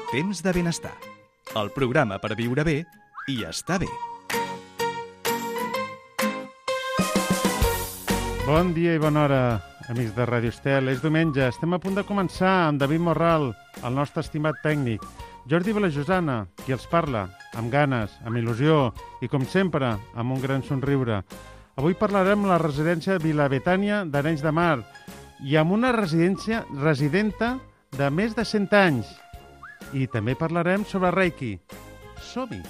Temps de benestar. El programa per viure bé i estar bé. Bon dia i bona hora, amics de Ràdio Estel. És diumenge, estem a punt de començar amb David Morral, el nostre estimat tècnic, Jordi Vilajosana, qui els parla, amb ganes, amb il·lusió i, com sempre, amb un gran somriure. Avui parlarem de la residència Vila-Betània d'Arenys de Mar i amb una residenta de més de 100 anys. I també parlarem sobre Reiki. Som-hi!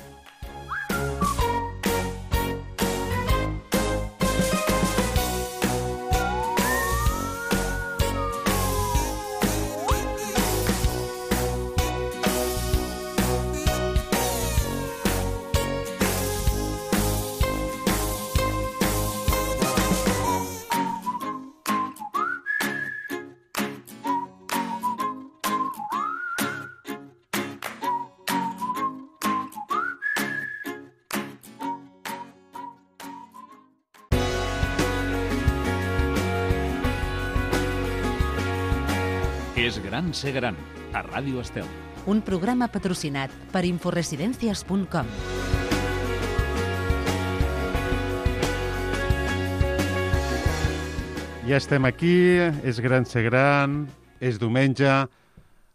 És gran ser gran, a Ràdio Estel. Un programa patrocinat per inforesidencias.com. Ja estem aquí, és gran ser gran, és diumenge.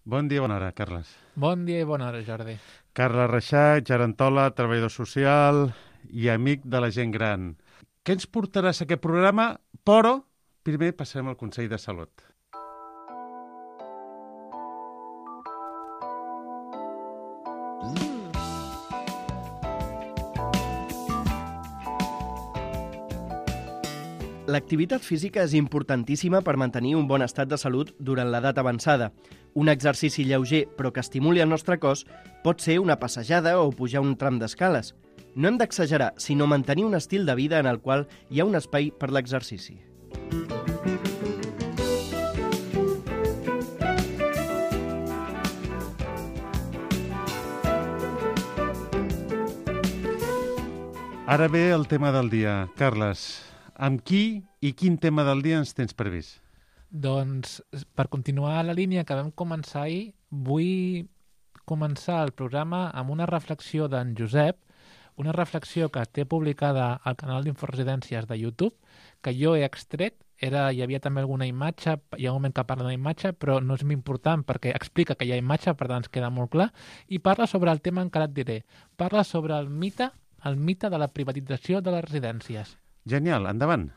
Bon dia, bona hora, Carles. Bon dia i bona hora, Jordi. Carles Reixac, gerontola, treballador social i amic de la gent gran. Què ens portaràs a aquest programa? Però primer passarem al Consell de Salut. L'activitat física és importantíssima per mantenir un bon estat de salut durant l'edat avançada. Un exercici lleuger però que estimuli el nostre cos pot ser una passejada o pujar un tram d'escales. No hem d'exagerar, sinó mantenir un estil de vida en el qual hi ha un espai per l'exercici. Ara ve el tema del dia. Carles, amb qui i quin tema del dia ens tens previst? Doncs, per continuar la línia que vam començar ahir, vull començar el programa amb una reflexió d'en Josep, una reflexió que té publicada al canal d'Inforesidències de YouTube, que jo he extret. Hi havia també alguna imatge, hi ha un moment que parla d'una imatge, però no és important perquè explica que hi ha imatge, per tant ens queda molt clar, i parla sobre el tema que ara et diré. Parla sobre el mite de la privatització de les residències. Genial, endavant.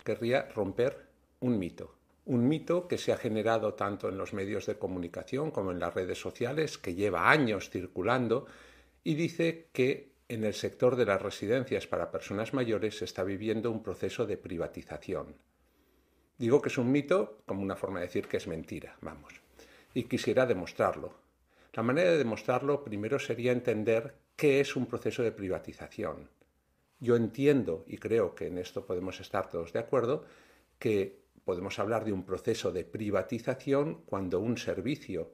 Querría romper un mito que se ha generado tanto en los medios de comunicación como en las redes sociales, que lleva años circulando y dice que en el sector de las residencias para personas mayores se está viviendo un proceso de privatización. Digo que es un mito como una forma de decir que es mentira, vamos. Y quisiera demostrarlo. La manera de demostrarlo primero sería entender qué es un proceso de privatización. Yo entiendo, y creo que en esto podemos estar todos de acuerdo, que podemos hablar de un proceso de privatización cuando un servicio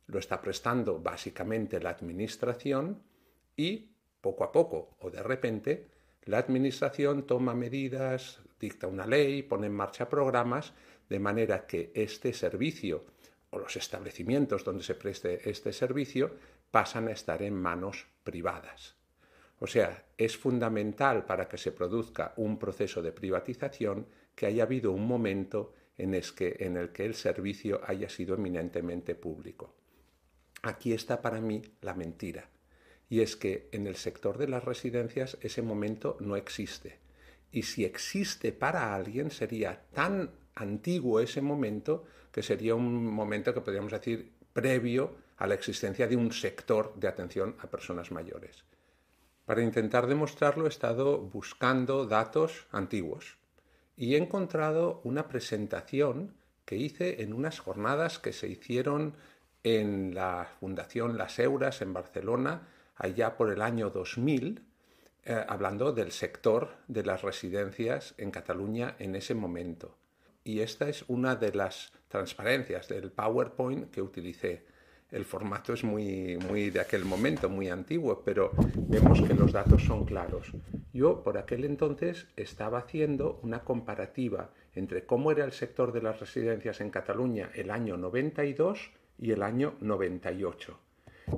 lo está prestando básicamente la administración y poco a poco o de repente la administración toma medidas, dicta una ley, pone en marcha programas de manera que este servicio o los establecimientos donde se preste este servicio pasan a estar en manos privadas. O sea, es fundamental para que se produzca un proceso de privatización que haya habido un momento en el que el servicio haya sido eminentemente público. Aquí está para mí la mentira, y es que en el sector de las residencias ese momento no existe. Y si existe para alguien sería tan antiguo ese momento que sería un momento que podríamos decir previo a la existencia de un sector de atención a personas mayores. Para intentar demostrarlo he estado buscando datos antiguos y he encontrado una presentación que hice en unas jornadas que se hicieron en la Fundación Las Euras en Barcelona allá por el año 2000, hablando del sector de las residencias en Cataluña en ese momento. Y esta es una de las transparencias del PowerPoint que utilicé. El formato es muy de aquel momento, muy antiguo, pero vemos que los datos son claros. Yo por aquel entonces estaba haciendo una comparativa entre cómo era el sector de las residencias en Cataluña el año 92 y el año 98.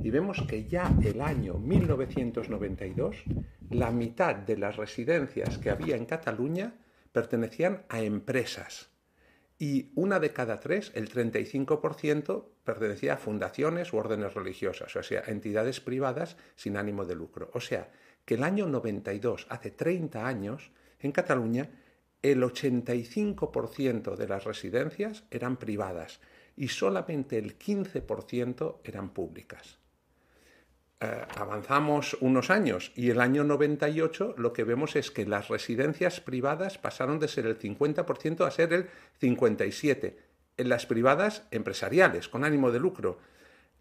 Y vemos que ya el año 1992, la mitad de las residencias que había en Cataluña pertenecían a empresas. Y una de cada tres, el 35%, pertenecía a fundaciones u órdenes religiosas, o sea, entidades privadas sin ánimo de lucro. O sea, que el año 92, hace 30 años, en Cataluña, el 85% de las residencias eran privadas y solamente el 15% eran públicas. Avanzamos unos años y el año 98 lo que vemos es que las residencias privadas pasaron de ser el 50% a ser el 57%. En las privadas empresariales, con ánimo de lucro.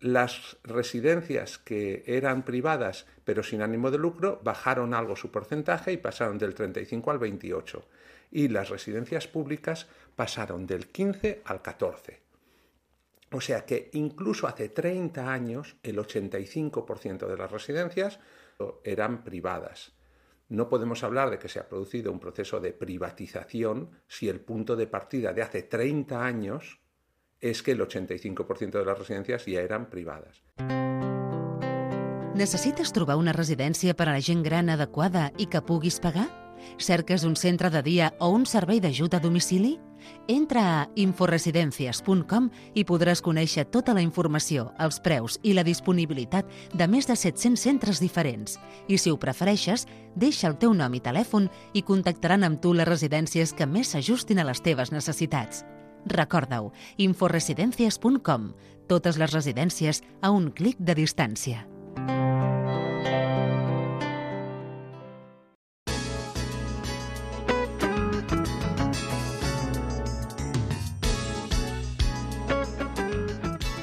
Las residencias que eran privadas pero sin ánimo de lucro bajaron algo su porcentaje y pasaron del 35 al 28. Y las residencias públicas pasaron del 15 al 14. O sea que incluso hace 30 años el 85% de las residencias eran privadas. No podemos hablar de que se ha producido un proceso de privatización si el punto de partida de hace 30 años es que el 85% de las residencias ja eren privades. Necessites trobar una residència per a la gent gran adequada i que puguis pagar? Cerques un centre de dia o un servei d'ajut a domicili? Entra a inforesidencias.com i podràs conèixer tota la informació, els preus i la disponibilitat de més de 700 centres diferents. I si ho prefereixes, deixa el teu nom i telèfon i contactaran amb tu les residències que més s'ajustin a les teves necessitats. Recorda-ho, inforesidencias.com. Totes les residències a un clic de distància.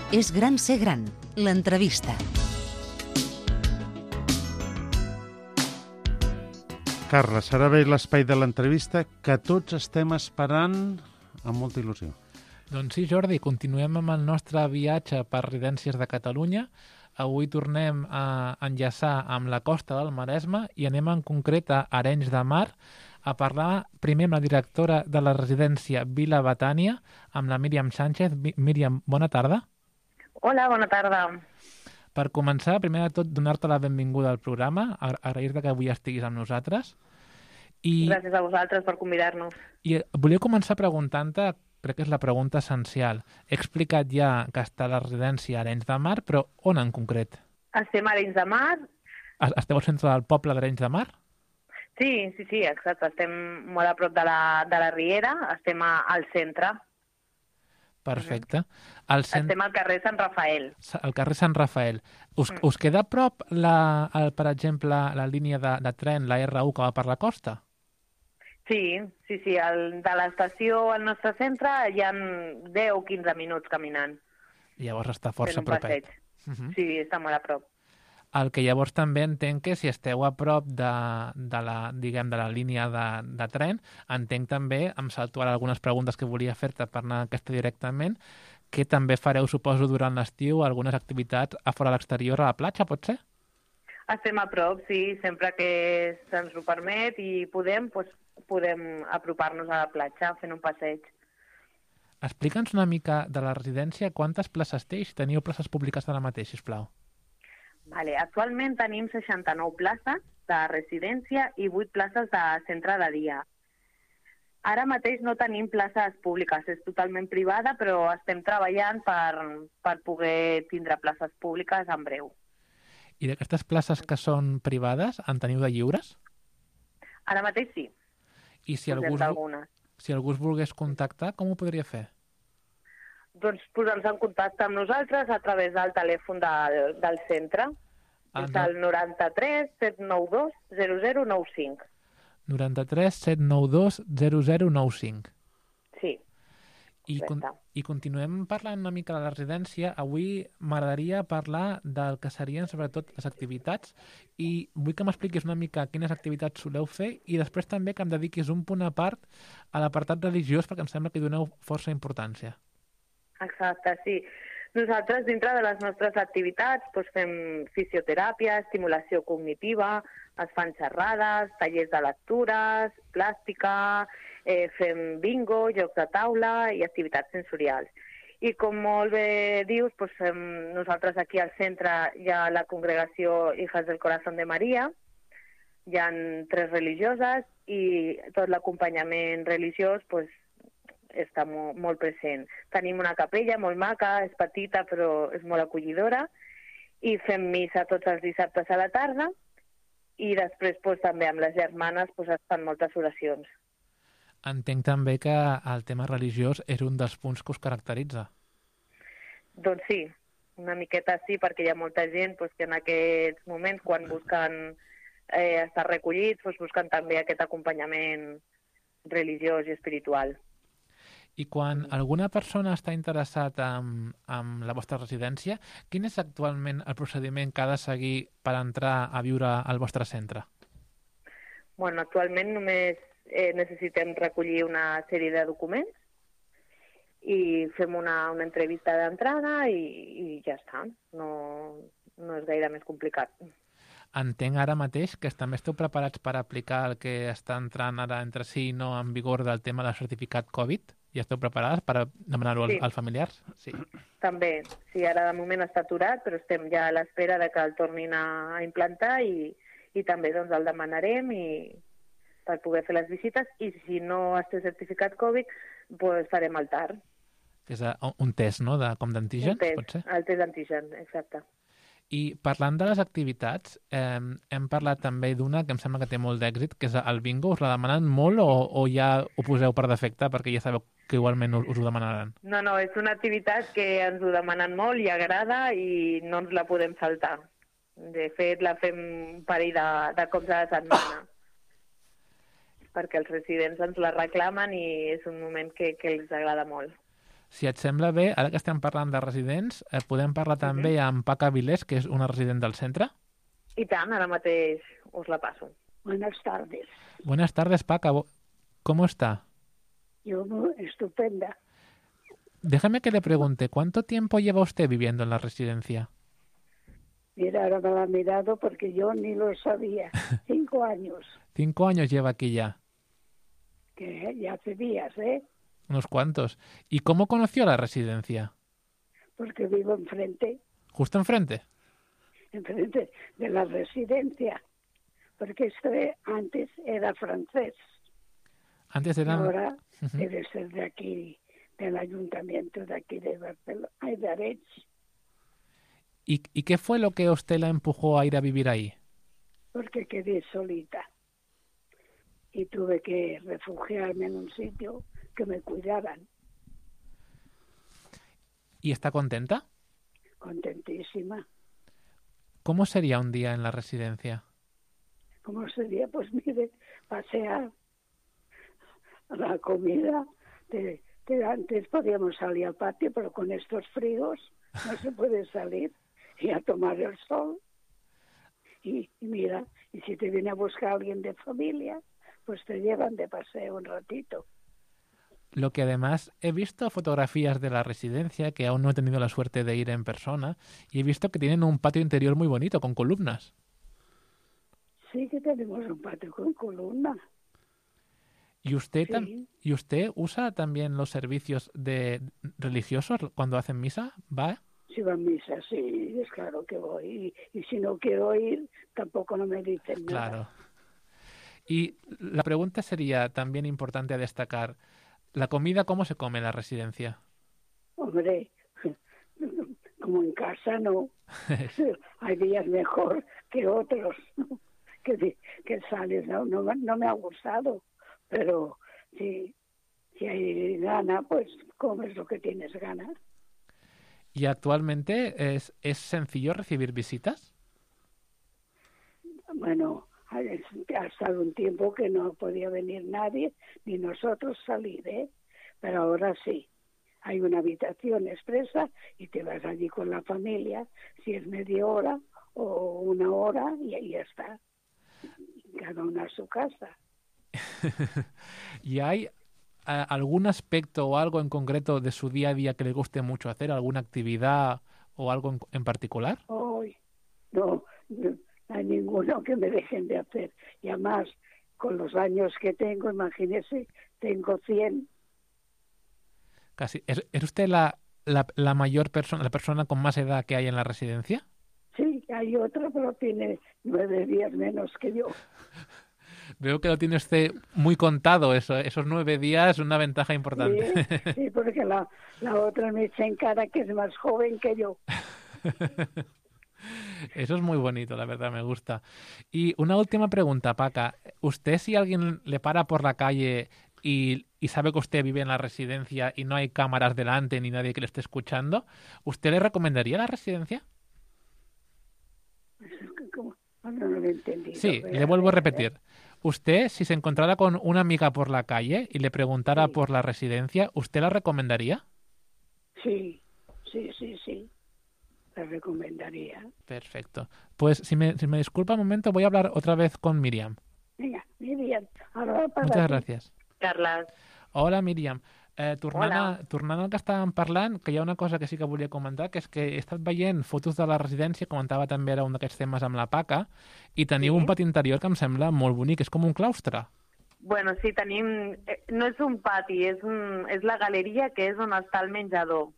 És gran ser gran, l'entrevista. Carles, serà bé l'espai de l'entrevista que tots estem esperant amb molta il·lusió. Doncs sí, Jordi, continuem amb el nostre viatge per residències de Catalunya. Avui tornem a enllaçar amb la costa del Maresme i anem en concret a Arenys de Mar a parlar primer amb la directora de la residència Vila Betània, amb la Míriam Sánchez. Míriam, bona tarda. Hola, bona tarda. Per començar, primer de tot, donar-te la benvinguda al programa, agrair-te que avui estiguis amb nosaltres. Gràcies a vosaltres per convidar-nos. I volia començar preguntant-te, crec que és la pregunta essencial. He explicat ja que està a la residència Arenys de Mar, però on en concret? Estem a Arenys de Mar. Esteu al centre del poble d'Arenys de Mar? Sí, exacte. Estem molt a prop de la Riera, estem al centre. Perfecte. Estem al carrer Sant Rafael. Al carrer Sant Rafael. Us queda a prop, per exemple, la línia de tren, la R1 que va per la costa? Sí. De l'estació al nostre centre hi ha 10 o 15 minuts caminant. Llavors està força propet. Sí, està molt a prop. El que llavors també entenc que si esteu a prop de la línia de tren, entenc també, em salto ara algunes preguntes que volia fer-te per anar aquesta directament, que també fareu, suposo, durant l'estiu algunes activitats a fora a l'exterior, a la platja, pot ser? Estem a prop, sí, sempre que se'ns ho permet i podem apropar-nos a la platja fent un passeig. Explica'ns una mica de la residència, quantes places té i si teniu places públiques ara mateix, sisplau. Vale, actualment tenim 69 places de residència i 8 places de centre de dia. Ara mateix no tenim places públiques, és totalment privada, però estem treballant per poder tindre places públiques en breu. I d'aquestes places que són privades, en teniu de lliures? Ara mateix sí. I si algú es volgués contactar, com ho podria fer? Doncs posar-nos en contacte amb nosaltres a través del telèfon del centre. És el 93 792 0095. 93 792 0095. Sí. I continuem parlant una mica de la residència. Avui m'agradaria parlar del que serien sobretot les activitats i vull que m'expliquis una mica quines activitats soleu fer i després també que em dediquis un punt a part a l'apartat religiós perquè em sembla que hi doneu força importància. Exacte, sí. Nosaltres, dintre de les nostres activitats, fem fisioteràpia, estimulació cognitiva, es fan xerrades, tallers de lectures, plàstica, fem bingo, jocs de taula i activitats sensorials. I com molt bé dius, doncs, nosaltres aquí al centre hi ha la congregació Hijas del Corazón de María, hi ha 3 religioses i tot l'acompanyament religiós doncs, està molt present. Tenim una capella molt maca, és petita però és molt acollidora, i fem missa tots els dissabtes a la tarda i després doncs, també amb les germanes doncs, es fan moltes oracions. Entenc també que el tema religiós és un dels punts que us caracteritza. Doncs sí, una miqueta sí, perquè hi ha molta gent doncs, que en aquests moments, quan busquen estar recollits, doncs, busquen també aquest acompanyament religiós i espiritual. I quan alguna persona està interessat en la vostra residència, quin és actualment el procediment que ha de seguir per entrar a viure al vostre centre? Bueno, actualment només necessitem recollir una sèrie de documents i fem una entrevista d'entrada i ja està. No és gaire més complicat. Entenc ara mateix que també esteu preparats per aplicar el que està entrant ara entre sí no en vigor del tema del certificat Covid? I esteu preparades per demanar-ho als familiars? Sí. També. Sí, ara de moment està aturat, però estem ja a l'espera de que el tornin a implantar i també doncs, el demanarem per poder fer les visites i si no es té certificat Covid, doncs farem el TAR. Que és un test, no?, com d'antígens, pot ser? El test d'antígen, exacte. I parlant de les activitats, hem parlat també d'una que em sembla que té molt d'èxit, que és el bingo. Us la demanen molt o ja ho poseu per defecte perquè ja sabeu que igualment us ho demanaran? No, és una activitat que ens ho demanen molt i agrada i no ens la podem saltar. De fet, la fem un parell de cops a la setmana perquè els residents ens la reclamen i és un moment que els agrada molt. Si et sembla bé, ara que estem parlant de residents, podem parlar també amb Paca Vilés, que és una resident del centre? I tant, ara mateix us la paso. Buenas tardes. Buenas tardes, Paca. ¿Cómo está? Yo estupenda. Déjame que le pregunte, ¿cuánto tiempo lleva usted viviendo en la residencia? Mira, ahora me la ha mirado porque yo ni lo sabía. 5 años. 5 años lleva aquí ya. Que ya hace días, ¿eh? Unos cuantos. ¿Y cómo conoció la residencia? Porque vivo enfrente. ¿Justo enfrente? Enfrente de la residencia. Porque antes era francés. Antes era... Ahora debe ser de aquí, del ayuntamiento de aquí de Barcelona, de Arenys. ¿Y qué fue lo que usted la empujó a ir a vivir ahí? Porque quedé solita. Y tuve que refugiarme en un sitio que me cuidaran. ¿Y está contenta? Contentísima. ¿Cómo sería un día en la residencia? ¿Cómo sería? Pues mire, pasear, la comida. Antes podíamos salir al patio, pero con estos fríos no se puede salir y a tomar el sol. Y mira, y si te viene a buscar alguien de familia, pues te llevan de paseo un ratito. Lo que además he visto fotografías de la residencia, que aún no he tenido la suerte de ir en persona, y he visto que tienen un patio interior muy bonito, con columnas. Sí, que tenemos un patio con columnas. ¿Y usted, Sí. ¿Y usted usa también los servicios religiosos cuando hacen misa? ¿Va? Si va a misa, sí, es claro que voy. Y si no quiero ir, tampoco no me dicen nada. Claro. Y la pregunta sería también importante a destacar. ¿La comida cómo se come en la residencia? Hombre, como en casa no. Hay días mejor que otros, ¿no? que sales. No me ha gustado, pero si hay gana, pues comes lo que tienes ganas. ¿Y actualmente es sencillo recibir visitas? Bueno, ha estado un tiempo que no podía venir nadie, ni nosotros salir, ¿eh? Pero ahora sí. Hay una habitación expresa y te vas allí con la familia, si es media hora o 1 hora, y ahí ya está. Cada uno a su casa. ¿Y hay algún aspecto o algo en concreto de su día a día que le guste mucho hacer? ¿Alguna actividad o algo en particular? Hoy no hay ninguno que me dejen de hacer. Y además, con los años que tengo, imagínese, tengo 100. Casi. ¿Es usted la la mayor persona, la persona con más edad que hay en la residencia? Sí, hay otro, pero tiene 9 días menos que yo. Veo que lo tiene usted muy contado, esos 9 días, una ventaja importante. Sí, porque la otra me echa en cara que es más joven que yo. Eso es muy bonito, la verdad, me gusta. Y una última pregunta, Paca. ¿Usted, si alguien le para por la calle y sabe que usted vive en la residencia y no hay cámaras delante ni nadie que le esté escuchando, ¿usted le recomendaría la residencia? ¿Cómo? No lo he entendido. Sí, le vuelvo a repetir. Usted, si se encontrara con una amiga por la calle y le preguntara por la residencia, ¿usted la recomendaría? Sí. La recomendaría. Perfecto. Pues si me disculpa un momento, voy a hablar otra vez con Míriam. Venga, Míriam. Ahora para Muchas ti. gràcies. Carles. Hola, Míriam. Hola. Tornant al que estàvem parlant, que hi ha una cosa que sí que volia comentar, que és que he estat veient fotos de la residència, comentava també ara un d'aquests temes amb la Paca, i teniu un pati interior que em sembla molt bonic, és com un claustre. Bueno, sí, tenim... No és un pati, és la galeria que és on està el menjador,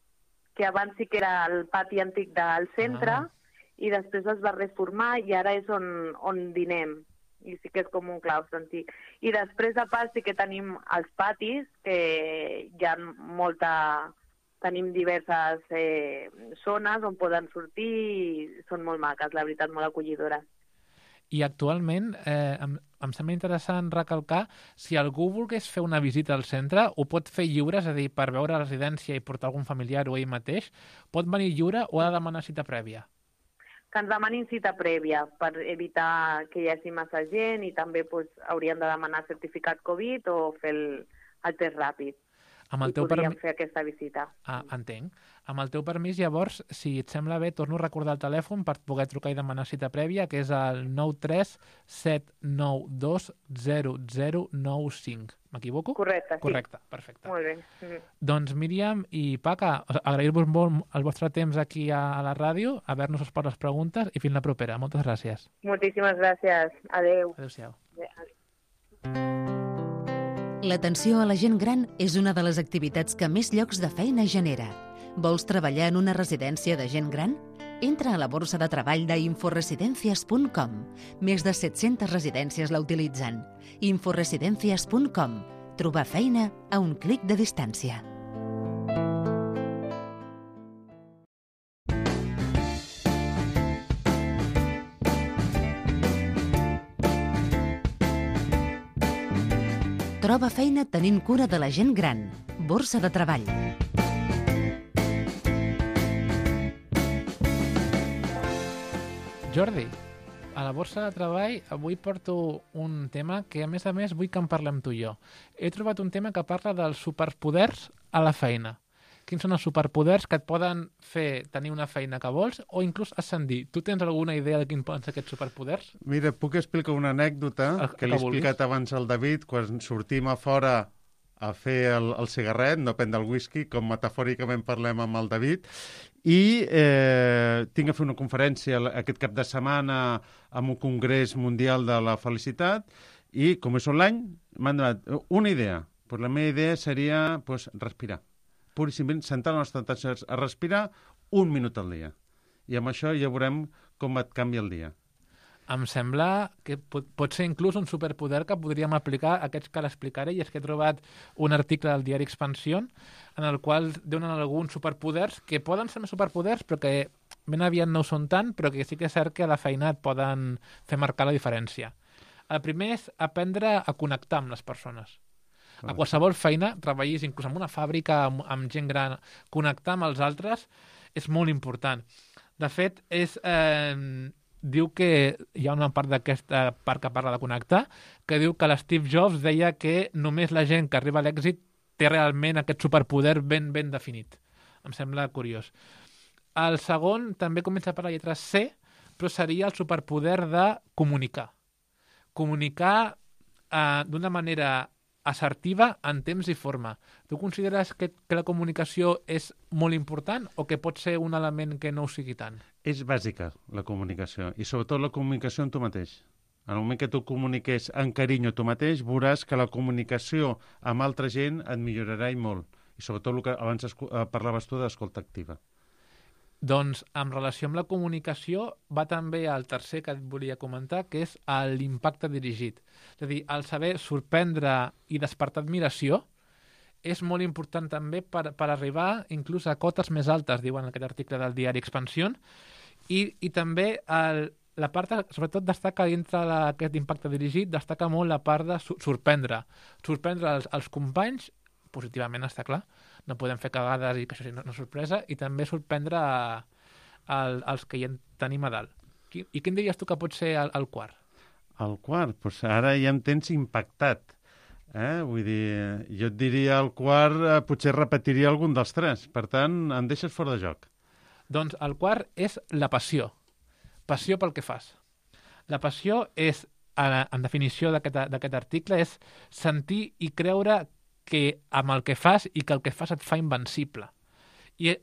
que abans sí que era el pati antic del centre i després es va reformar i ara és on dinem. I sí que és com un claustre antic. I després, a part, sí que tenim els patis, que hi ha tenim diverses zones on poden sortir i són molt maques, la veritat, molt acollidores. I actualment em sembla interessant recalcar, si algú volgués fer una visita al centre, ho pot fer lliure, és a dir, per veure la residència i portar algun familiar o ell mateix, pot venir lliure o ha de demanar cita prèvia? Que ens demanin cita prèvia per evitar que hi hagi massa gent i també haurien de demanar certificat Covid o fer el test ràpid. I podríem fer aquesta visita. Entenc. Amb el teu permís, llavors, si et sembla bé, torno a recordar el telèfon per poder trucar i demanar cita prèvia, que és el 937920095. M'equivoco? Correcte, sí. Correcte, perfecte. Molt bé. Doncs Míriam i Paca, agrair-vos molt el vostre temps aquí a la ràdio, haver-nos per les preguntes i fins la propera. Moltes gràcies. Moltíssimes gràcies. Adéu. Adéu-siau. L'atenció a la gent gran és una de les activitats que més llocs de feina genera. Vols treballar en una residència de gent gran? Entra a la borsa de treball d'inforesidencias.com. Més de 700 residències la utilitzen. Inforesidencias.com. Trobar feina a un clic de distància. Troba feina tenint cura de la gent gran. Borsa de treball. Jordi, a la borsa de treball avui porto un tema que, a més, vull que en parlem tu i jo. He trobat un tema que parla dels superpoders a la feina. Quins són els superpoders que et poden fer tenir una feina que vols o inclús ascendir? Tu tens alguna idea de quins poden ser aquests superpoders? Mira, puc explicar una anècdota que li he explicat abans al David quan sortim a fora a fer el cigarret, no prendre el whisky, com metafòricament parlem amb el David, i tinc a fer una conferència aquest cap de setmana amb un congrés mundial de la felicitat i, com és online, m'han donat una idea. La meva idea seria respirar. Pur i simplement centrar la nostra atenció a respirar 1 minut al dia. I amb això ja veurem com et canvia el dia. Em sembla que pot ser inclús un superpoder que podríem aplicar a aquests que l'explicaré, i és que he trobat un article del diari Expansión en el qual donen alguns superpoders que poden ser més superpoders però que ben aviat no ho són tant, però que sí que és cert que a la feina et poden fer marcar la diferència. El primer és aprendre a connectar amb les persones. A qualsevol feina, treballis inclús en una fàbrica, amb gent gran, connectar amb els altres és molt important. De fet, diu que hi ha una part d'aquesta part que parla de connectar, que diu que l'Steve Jobs deia que només la gent que arriba a l'èxit té realment aquest superpoder ben definit. Em sembla curiós. El segon també comença per la lletra C, però seria el superpoder de comunicar. Comunicar d'una manera assertiva en temps i forma. Tu consideres que la comunicació és molt important o que pot ser un element que no ho sigui tant? És bàsica, la comunicació, i sobretot la comunicació amb tu mateix. En el moment que tu comuniques amb carinyo a tu mateix, veuràs que la comunicació amb altra gent et millorarà i molt. I sobretot el que abans parlaves tu d'escolta activa. Doncs, en relació amb la comunicació, va també al tercer que et volia comentar, que és l'impacte dirigit. És a dir, el saber sorprendre i despertar admiració és molt important també per arribar inclús a cotes més altes, diuen en aquest article del diari Expansión, i també la part, sobretot destaca dintre d'aquest impacte dirigit, destaca molt la part de sorprendre. Sorprendre els companys, positivament, està clar, no podem fer cagades i que això sigui una sorpresa, i també sorprendre els que hi tenim a dalt. I quin diries tu que pot ser el quart? El quart? Doncs ara ja em tens impactat. Vull dir, jo et diria el quart, potser repetiria algun dels tres. Per tant, em deixes fora de joc. Doncs el quart és la passió. Passió pel que fas. La passió és, en definició d'aquest article, és sentir i creure que amb el que fas i que el que fas et fa invencible. I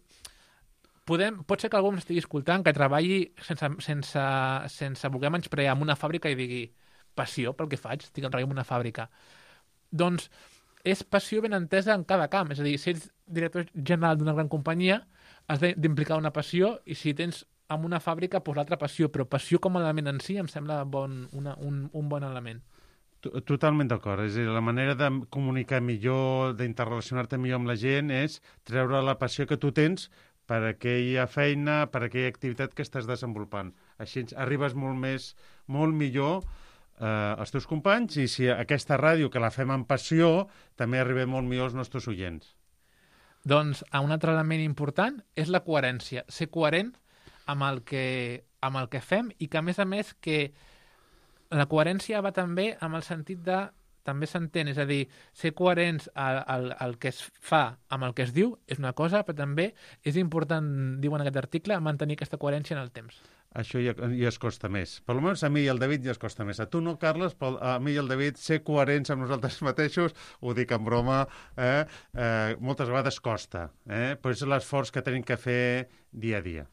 pot ser que algú m'estigui escoltant que treballi sense voler menysprear en una fàbrica i digui passió pel que faig, estic treballant en una fàbrica. Doncs és passió ben entesa en cada camp. És a dir, si ets director general d'una gran companyia, has d'implicar una passió, i si tens en una fàbrica, doncs l'altra passió. Però passió com a element en si em sembla un bon element. Totalment d'acord. És a dir, la manera de comunicar millor, d'interrelacionar-te millor amb la gent és treure la passió que tu tens per aquella feina, per aquella activitat que estàs desenvolupant. Així arribes molt millor als teus companys, i si aquesta ràdio que la fem amb passió, també arribem molt millor als nostres oients. Doncs un altre element important és la coherència. Ser coherent amb el que fem, i que, a més, que la coherència va també amb el sentit de, també s'entén, és a dir, ser coherents al que es fa amb el que es diu és una cosa, però també és important, diuen en aquest article, mantenir aquesta coherència en el temps. Això ja es costa més. Per almenys a mi i al David ja es costa més. A tu no, Carles, però a mi i al David ser coherents amb nosaltres mateixos, ho dic en broma, moltes vegades costa. Però és l'esforç que tenim que fer dia a dia.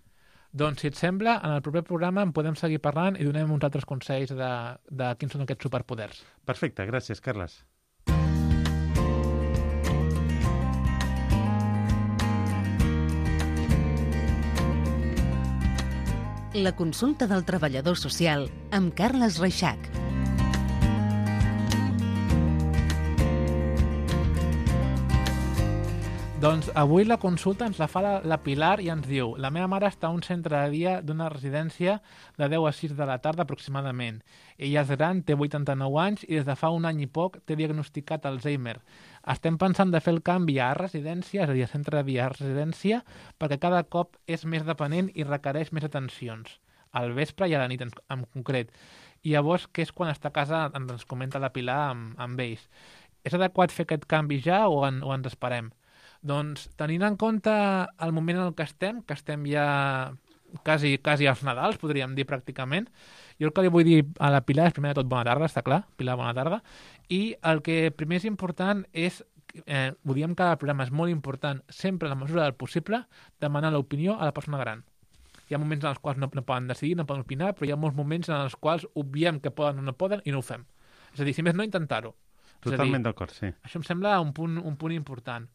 Doncs, si et sembla, en el proper programa en podem seguir parlant i donem uns altres consells de quins són aquests superpoders. Perfecte, gràcies, Carles. La consulta del treballador social amb Carles Reixac. Doncs avui la consulta ens la fa la Pilar i ens diu: la meva mare està a un centre de dia d'una residència de 10 a 6 de la tarda aproximadament. Ella és gran, té 89 anys i des de fa un any i poc té diagnosticat Alzheimer. Estem pensant de fer el canvi a residència, és a dir, a centre de dia a residència, perquè cada cop és més dependent i requereix més atencions, al vespre i a la nit en concret. I llavors, que és quan està a casa, ens comenta la Pilar amb ells. És adequat fer aquest canvi ja o ens esperem? Doncs, tenint en compte el moment en el que estem ja quasi als Nadals, podríem dir pràcticament, jo el que li vull dir a la Pilar és, primer de tot, bona tarda, està clar, Pilar, bona tarda, i el que primer és important és, ho diem cada programa, és molt important, sempre a la mesura del possible, demanar l'opinió a la persona gran. Hi ha moments en els quals no poden decidir, no poden opinar, però hi ha molts moments en els quals obviem que poden o no poden i no ho fem. És a dir, si més no, intentar-ho. Totalment d'acord, sí. Això em sembla un punt important.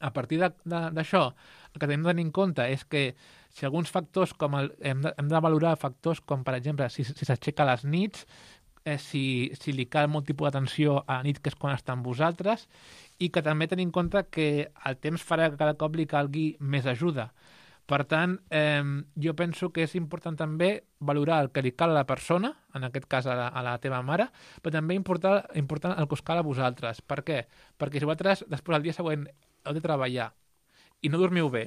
A partir d'això, el que tenim de tenir en compte és que si alguns factors, hem de valorar factors com, per exemple, si s'aixeca a les nits, si li cal molt tipus d'atenció a la nit, que és quan està amb vosaltres, i que també tenim en compte que el temps farà que cada cop li calgui més ajuda. Per tant, jo penso que és important també valorar el que li cal a la persona, en aquest cas a la teva mare, però també important el que us cal a vosaltres. Per què? Perquè si vosaltres després el dia següent heu de treballar i no dormiu bé,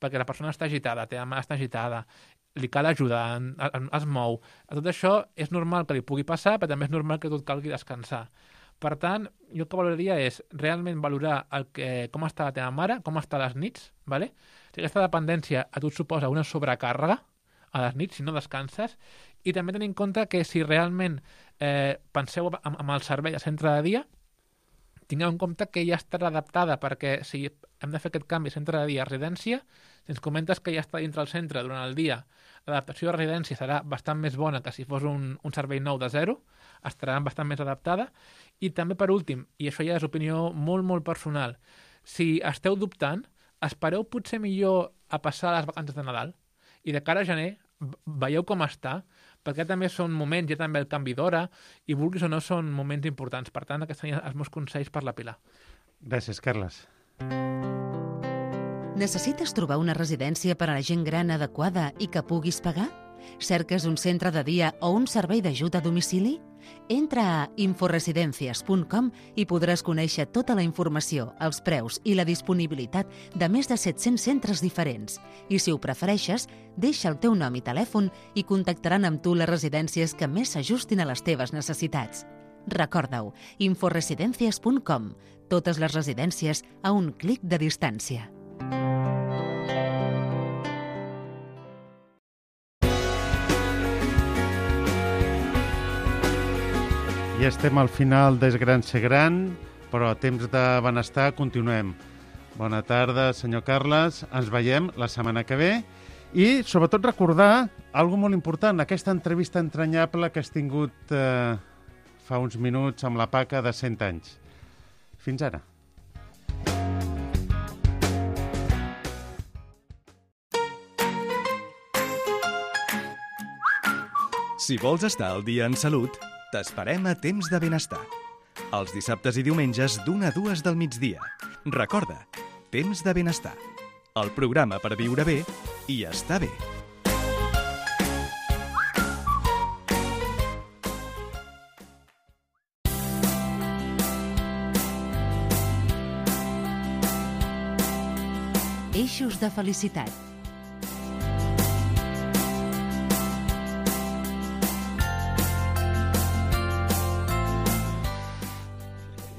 perquè la persona està agitada, la teva mare està agitada, li cal ajuda, es mou. A tot això és normal que li pugui passar, però també és normal que tu et calgui descansar. Per tant, jo el que valoraria és realment valorar com està la teva mare, com està a les nits, ¿vale? Si aquesta dependència a tu et suposa una sobrecàrrega a les nits, si no descanses, i també tenir en compte que si realment penseu amb el servei a centre de dia, tingueu en compte que ja estarà adaptada, perquè si hem de fer aquest canvi centre de dia a residència, si ens comentes que ja està dintre el centre durant el dia, l'adaptació a residència serà bastant més bona que si fos un servei nou de zero, estarà bastant més adaptada. I també, per últim, i això ja és opinió molt, molt personal, Si esteu dubtant, espereu potser millor a passar les vacances de Nadal i de cara a gener veieu com està, perquè també són moments, ja també el canvi d'hora, i vulguis o no són moments importants. Per tant, aquests serien els meus consells per la Pilar. Gràcies, Carles. Necessites trobar una residència per a la gent gran adequada i que puguis pagar? Cerques un centre de dia o un servei d'ajut a domicili? Entra a inforesidencias.com i podràs conèixer tota la informació, els preus i la disponibilitat de més de 700 centres diferents. I si ho prefereixes, deixa el teu nom i telèfon i contactaran amb tu les residències que més s'ajustin a les teves necessitats. Recorda-ho, inforesidencias.com. Totes les residències a un clic de distància. Ja estem al final d'És gran ser gran, però a temps de benestar continuem. Bona tarda, senyor Carles. Ens veiem la setmana que ve. I, sobretot, recordar alguna molt important, aquesta entrevista entranyable que has tingut fa uns minuts amb la Paca de 100 anys. Fins ara. Si vols estar al dia en salut, t'esperem a Temps de Benestar. Els dissabtes i diumenges d'1 a 2 del migdia. Recorda, Temps de Benestar. El programa per viure bé i estar bé. Eixos de felicitat.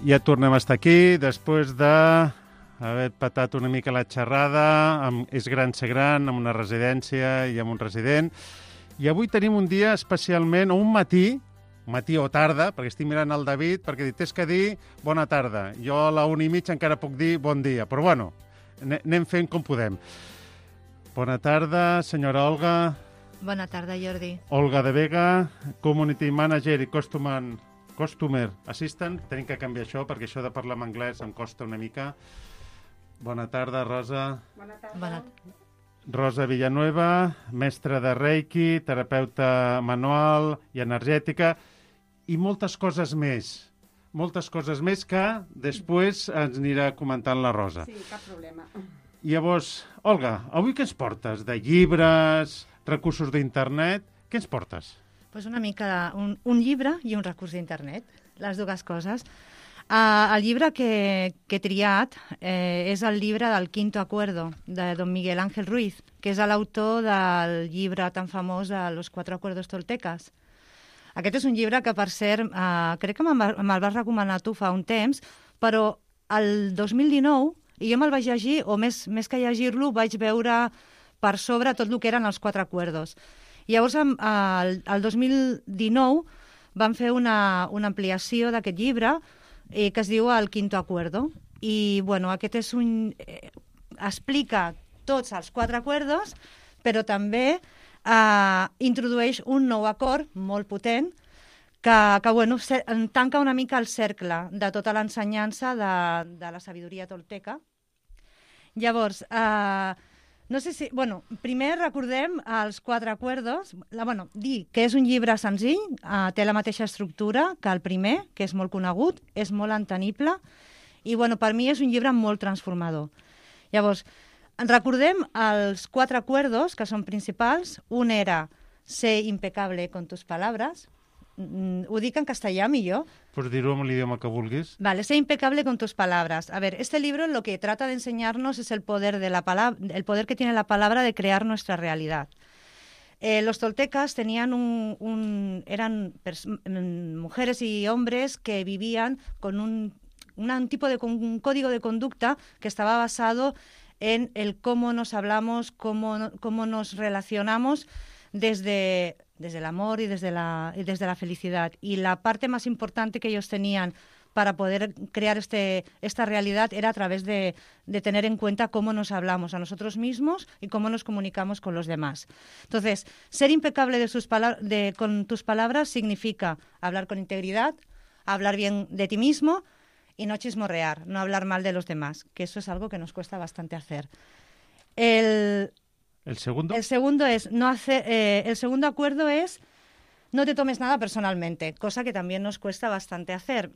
Ja tornem a estar aquí, després d'haver patat una mica la xerrada amb És gran ser gran, amb una residència i amb un resident. I avui tenim un dia especialment, o un matí o tarda, perquè estic mirant el David, perquè tens que dir bona tarda. Jo a la 1:30 encara puc dir bon dia, però bueno, anem fent com podem. Bona tarda, senyora Olga. Bona tarda, Jordi. Olga de Vega, Community Manager i Customer Assistant. Tenim que canviar això, perquè això de parlar en anglès em costa una mica. Bona tarda, Rosa. Bona tarda. Rosa Villanueva, mestra de Reiki, terapeuta manual i energètica, i moltes coses més. Moltes coses més que després ens anirà comentant la Rosa. Sí, cap problema. Llavors, Olga, avui què ens portes? De llibres, recursos d'internet? Què ens portes? Pues una mica un llibre i un recurs d'internet, les dues coses. El llibre que he triat és el llibre del Quinto Acuerdo, de don Miguel Ángel Ruiz, que és l'autor del llibre tan famós Los Cuatro Acuerdos Toltecas. Aquest és un llibre que, per cert, crec que me'l vas recomanar tu fa un temps, però el 2019, i jo me'l vaig llegir, o més que llegir-lo, vaig veure per sobre tot el que eren els Quatre Acuerdos. Llavors, el 2019 van fer una ampliació d'aquest llibre que es diu El Quinto Acuerdo. I, bueno, aquest és explica tots els quatre acuerdos, però també introdueix un nou acord molt potent que bueno, tanca una mica el cercle de tota l'ensenyança de la sabidoria tolteca. Llavors, no sé si... Bueno, primer recordem els quatre acuerdos. Dir que és un llibre senzill, té la mateixa estructura que el primer, que és molt conegut, és molt entenible, i bueno, per mi és un llibre molt transformador. Llavors, recordem els quatre acuerdos, que són principals. Un era ser impecable con tus palabras. Ho dic en castellà millor. Pots dir-ho en l'idioma que vulguis. Vale, ser impecable con tus palabras. A ver, este libro lo que trata de enseñarnos es el poder de la palabra, el poder que tiene la palabra de crear nuestra realidad. Los toltecas tenían eran mujeres y hombres que vivían con un código de conducta que estaba basado en el cómo nos hablamos, cómo nos relacionamos desde el amor y desde la felicidad. Y la parte más importante que ellos tenían para poder crear esta realidad era a través de tener en cuenta cómo nos hablamos a nosotros mismos y cómo nos comunicamos con los demás. Entonces, ser impecable con tus palabras significa hablar con integridad, hablar bien de ti mismo y no chismorrear, no hablar mal de los demás, que eso es algo que nos cuesta bastante hacer. ¿El segundo? El segundo acuerdo es no te tomes nada personalmente, cosa que también nos cuesta bastante hacer.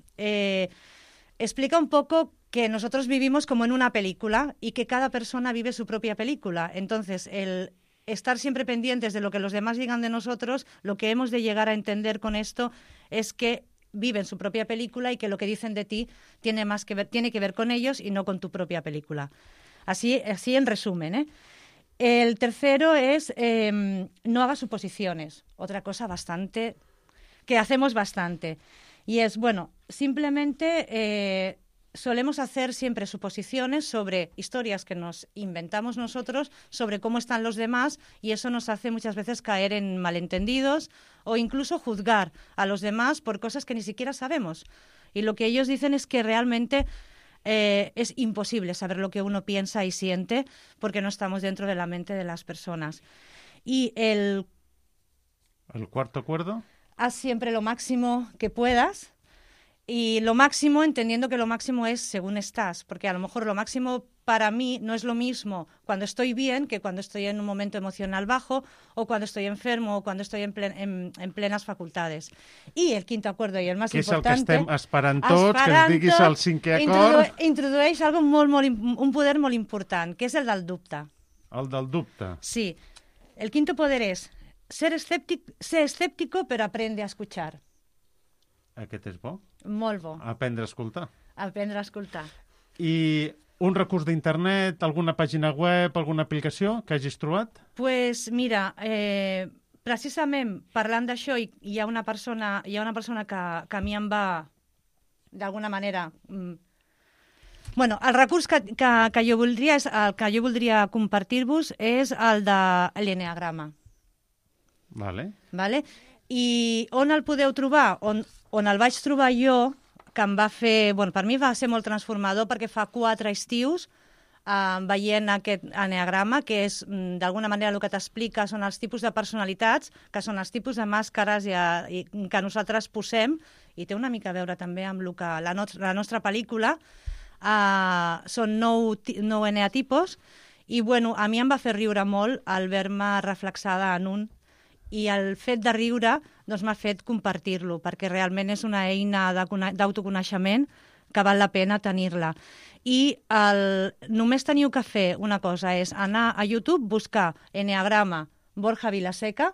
Explica un poco que nosotros vivimos como en una película y que cada persona vive su propia película. Entonces, el estar siempre pendientes de lo que los demás digan de nosotros, lo que hemos de llegar a entender con esto es que viven su propia película y que lo que dicen de ti tiene que ver con ellos y no con tu propia película. Así en resumen, ¿eh? El tercero es no hagas suposiciones, otra cosa que hacemos bastante. Y es, simplemente solemos hacer siempre suposiciones sobre historias que nos inventamos nosotros, sobre cómo están los demás, y eso nos hace muchas veces caer en malentendidos o incluso juzgar a los demás por cosas que ni siquiera sabemos. Y lo que ellos dicen es que realmente es imposible saber lo que uno piensa y siente porque no estamos dentro de la mente de las personas. Y ¿el cuarto acuerdo? Haz siempre lo máximo que puedas. Y lo máximo, entendiendo que lo máximo es según estás, porque a lo mejor lo máximo para mí no es lo mismo cuando estoy bien que cuando estoy en un momento emocional bajo o cuando estoy enfermo o cuando estoy en plenes facultades. I el quinto acuerdo i el més important... Que és el que estem esperant tots, que ens diguis el cinquè acord. Introdueix un poder molt important, que és el del dubte. El del dubte. Sí. El quinto poder és ser escéptico però aprende a escuchar. Aquest és bo? Molt bo. Aprendre a escoltar. Aprendre a escoltar. I un recurs d'internet, alguna pàgina web, alguna aplicació que hagis trobat? Pues mira, precisament parlant d'això, hi ha una persona que a mi em va, d'alguna manera... el recurs que jo voldria compartir-vos és el de l'enneagrama. Vale. I on el podeu trobar? On el vaig trobar jo, que em va fer... per mi va ser molt transformador perquè fa 4 estius veient aquest enneagrama, que és, d'alguna manera, el que t'explica són els tipus de personalitats, que són els tipus de màscares que nosaltres posem, i té una mica a veure també amb el que la nostra pel·lícula. Són 9 eneatipos, i a mi em va fer riure molt el veure-me reflexada en un, i el fet de riure m'ha fet compartir-lo, perquè realment és una eina d'autoconeixement que val la pena tenir-la. I només teniu que fer una cosa, és anar a YouTube, buscar Enneagrama Borja Vilaseca,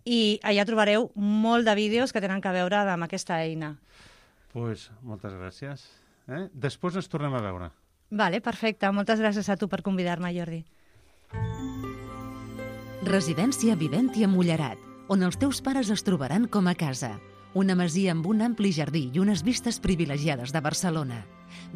i allà trobareu molt de vídeos que tenen que veure amb aquesta eina. Doncs moltes gràcies. Després ens tornem a veure. Vale, perfecte. Moltes gràcies a tu per convidar-me, Jordi. Residència Viventia Mullerat, on els teus pares es trobaran com a casa. Una masia amb un ampli jardí i unes vistes privilegiades de Barcelona.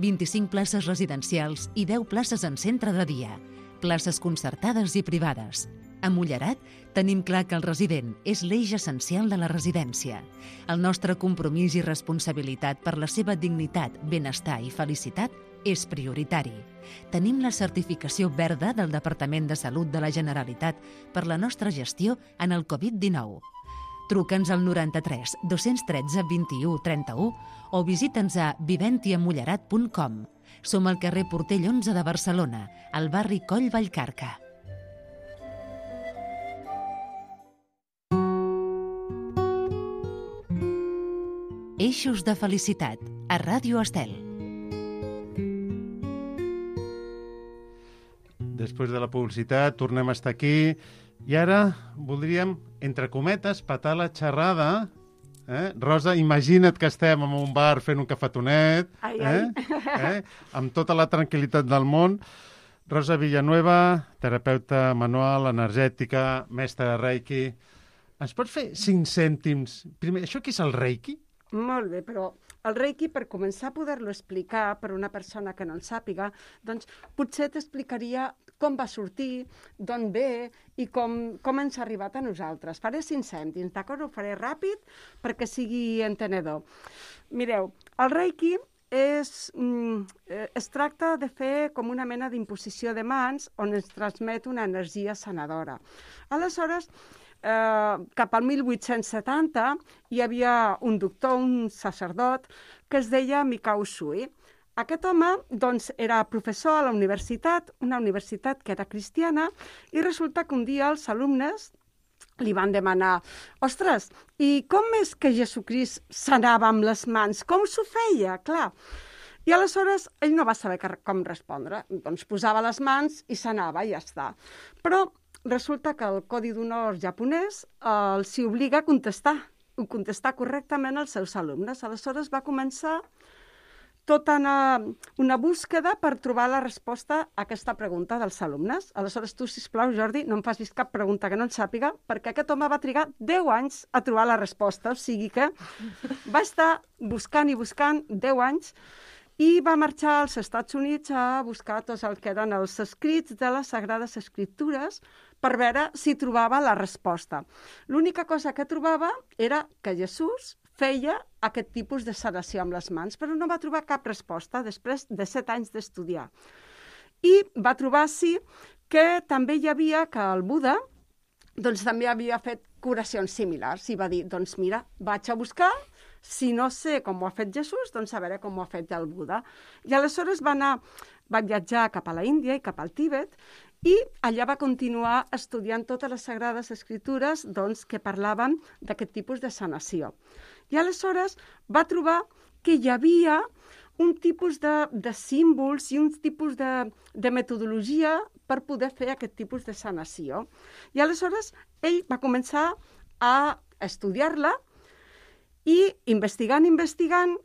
25 places residencials i 10 places en centre de dia. Places concertades i privades. A Mullerat tenim clar que el resident és l'eix essencial de la residència. El nostre compromís i responsabilitat per la seva dignitat, benestar i felicitat és prioritari. Tenim la certificació verda del Departament de Salut de la Generalitat per la nostra gestió en el Covid-19. Truca'ns al 93 213 21 31 o visita'ns a viventiamullerat.com. Som al carrer Portell 11 de Barcelona, al barri Coll Vallcarca. Eixos de felicitat, a Ràdio Estel. Després de la publicitat tornem a estar aquí i ara voldríem, entre cometes, patar la xerrada. Rosa, imagina't que estem en un bar fent un cafetonet, amb tota la tranquil·litat del món. Rosa Villanueva, terapeuta manual, energètica, mestra de Reiki. Ens pots fer 5 cèntims? Primer, això què és el Reiki? Molt bé, però el Reiki, per començar a poder-lo explicar per una persona que no el sàpiga, doncs potser t'explicaria com va sortir, d'on ve i com ens ha arribat a nosaltres. Faré 5 cèntims, d'acord? Ho faré ràpid perquè sigui entenedor. Mireu, el Reiki es tracta de fer com una mena d'imposició de mans on ens transmet una energia sanadora. Aleshores, cap al 1870, hi havia un doctor, un sacerdot, que es deia Mikao Usui. Aquest home doncs, era professor a la universitat, una universitat que era cristiana, i resulta que un dia els alumnes li van demanar: ostres, i com és que Jesucrist sanava amb les mans? Com s'ho feia? Clar. I aleshores ell no va saber com respondre. Doncs posava les mans i sanava, i ja està. Però resulta que el Codi d'Honor japonès els obliga a contestar correctament als seus alumnes. Aleshores va començar tota una búsqueda per trobar la resposta a aquesta pregunta dels alumnes. Aleshores, tu, sisplau, Jordi, no em facis cap pregunta que no en sàpiga, perquè aquest home va trigar 10 anys a trobar la resposta, o sigui que va estar buscant i buscant 10 anys i va marxar als Estats Units a buscar tots el que eren els escrits de les Sagrades Escriptures per veure si trobava la resposta. L'única cosa que trobava era que Jesús feia aquest tipus de sanació amb les mans, però no va trobar cap resposta després de 7 anys d'estudiar. I va trobar, sí, que també hi havia que el Buda doncs, també havia fet curacions similars i va dir, doncs mira, vaig a buscar, si no sé com ho ha fet Jesús, doncs a veure com ho ha fet el Buda. I aleshores va viatjar cap a la Índia i cap al Tíbet, i allà va continuar estudiant totes les Sagrades Escriptures doncs, que parlaven d'aquest tipus de sanació. I aleshores va trobar que hi havia un tipus de símbols i un tipus de metodologia per poder fer aquest tipus de sanació. I aleshores ell va començar a estudiar-la i investigant,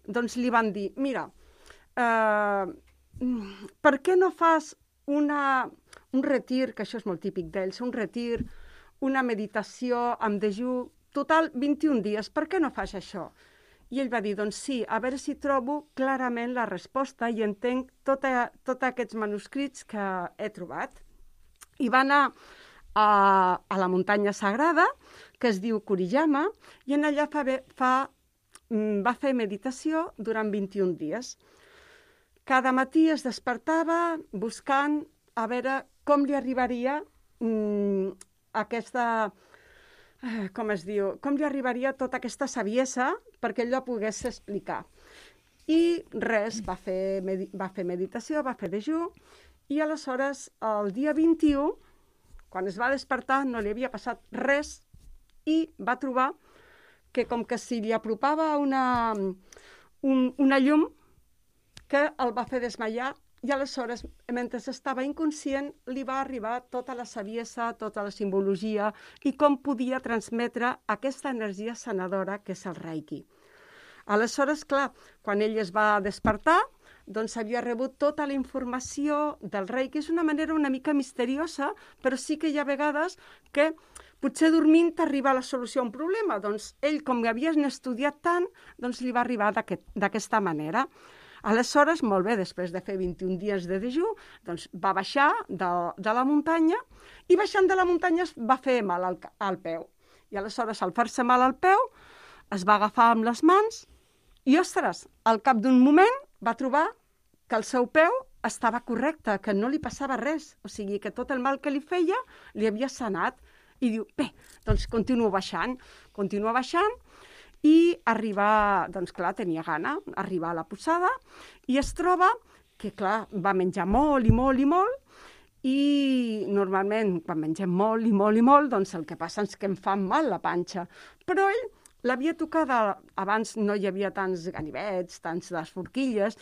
doncs li van dir, mira, per què no fas un retir, que això és molt típic d'ells, un retir, una meditació amb dejú, total 21 dies, per què no fas això? I ell va dir, doncs sí, a veure si trobo clarament la resposta i entenc tots aquests manuscrits que he trobat. I va anar a la muntanya sagrada, que es diu Kuriyama, i en allà va fer meditació durant 21 dies. Cada matí es despertava buscant a veure com li arribaria com li arribaria tota aquesta saviesa perquè ell la pogués explicar. I res, va fer meditació, va fer dejú, i aleshores el dia 21, quan es va despertar, no li havia passat res i va trobar que com que si li apropava una llum que el va fer desmaiar, i aleshores, mentre estava inconscient, li va arribar tota la saviesa, tota la simbologia i com podia transmetre aquesta energia sanadora que és el Reiki. Aleshores, clar, quan ell es va despertar, doncs havia rebut tota la informació del Reiki. És una manera una mica misteriosa, però sí que hi ha vegades que potser dormint t'arriba la solució a un problema. Doncs ell, com que havia estudiat tant, doncs li va arribar d'aquesta manera. Aleshores, molt bé, després de fer 21 dies de dejú, doncs va baixar de la muntanya i baixant de la muntanya es va fer mal al peu. I aleshores, al fer-se mal al peu, es va agafar amb les mans i, ostres, al cap d'un moment va trobar que el seu peu estava correcte, que no li passava res. O sigui, que tot el mal que li feia li havia sanat. I diu, bé, doncs continua baixant i arribar, doncs clar, tenia gana, arribar a la posada i es troba que, clar, va menjar molt i molt i molt i normalment quan mengem molt i molt i molt, doncs el que passa és que em fa mal la panxa. Però ell l'havia tocada, abans no hi havia tants ganivets, tants les forquilles,